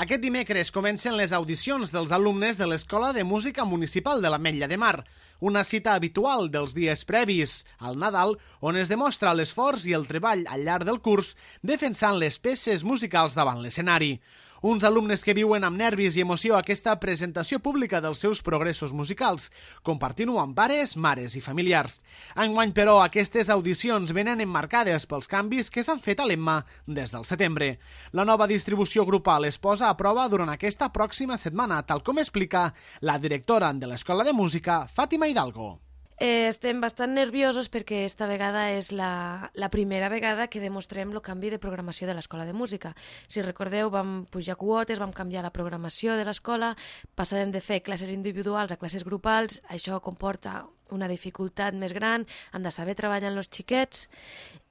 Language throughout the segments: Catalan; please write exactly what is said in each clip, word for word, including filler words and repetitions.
Aquest dimecres comencen les audicions dels alumnes de l'Escola de Música Municipal de l'Ametlla de Mar, una cita habitual dels dies previs al Nadal, on es demostra l'esforç i el treball al llarg del curs defensant les peces musicals davant l'escenari. Uns alumnes que viuen amb nervis i emoció aquesta presentació pública dels seus progressos musicals, compartint-ho amb pares, mares i familiars. Enguany, però, aquestes audicions venen emmarcades pels canvis que s'han fet a l'Emma des del setembre. La nova distribució grupal es posa a prova durant aquesta pròxima setmana, tal com explica la directora de l'Escola de Música, Fàtima Hidalgo. Eh, estem bastant nerviosos perquè esta vegada és la, la primera vegada que demostrem el canvi de programació de l'Escola de Música. Si recordeu, vam pujar quotes, vam canviar la programació de l'escola, passarem de fer classes individuals a classes grupals, això comporta una dificultat més gran, han de saber treballar amb els xiquets,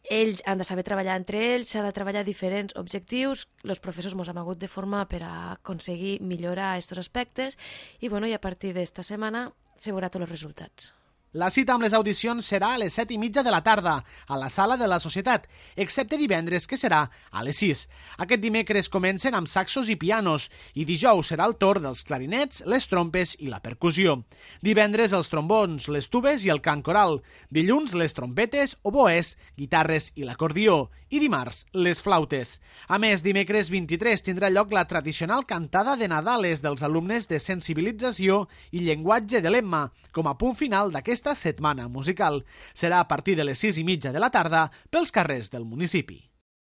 ells han de saber treballar entre ells, s'ha de treballar diferents objectius, els professors ens hem hagut de formar per a aconseguir millorar aquests aspectes i, bueno, i a partir d'esta setmana se veurà tots els resultats. La cita amb les audicions serà a les set i mitja de la tarda, a la sala de la Societat, excepte divendres, que serà a les sis. Aquest dimecres comencen amb saxos i pianos, i dijous serà el torn dels clarinets, les trompes i la percussió. Divendres els trombons, les tubes i el cant coral. Dilluns les trompetes, oboès, guitarres i l'acordió. I dimarts, les flautes. A més, dimecres vint-i-tres tindrà lloc la tradicional cantada de Nadales dels alumnes de sensibilització i llenguatge de l'Emma, com a punt final d'aquest esta setmana musical. Serà a partir de les sis i mitja de la tarda pels carrers del municipi.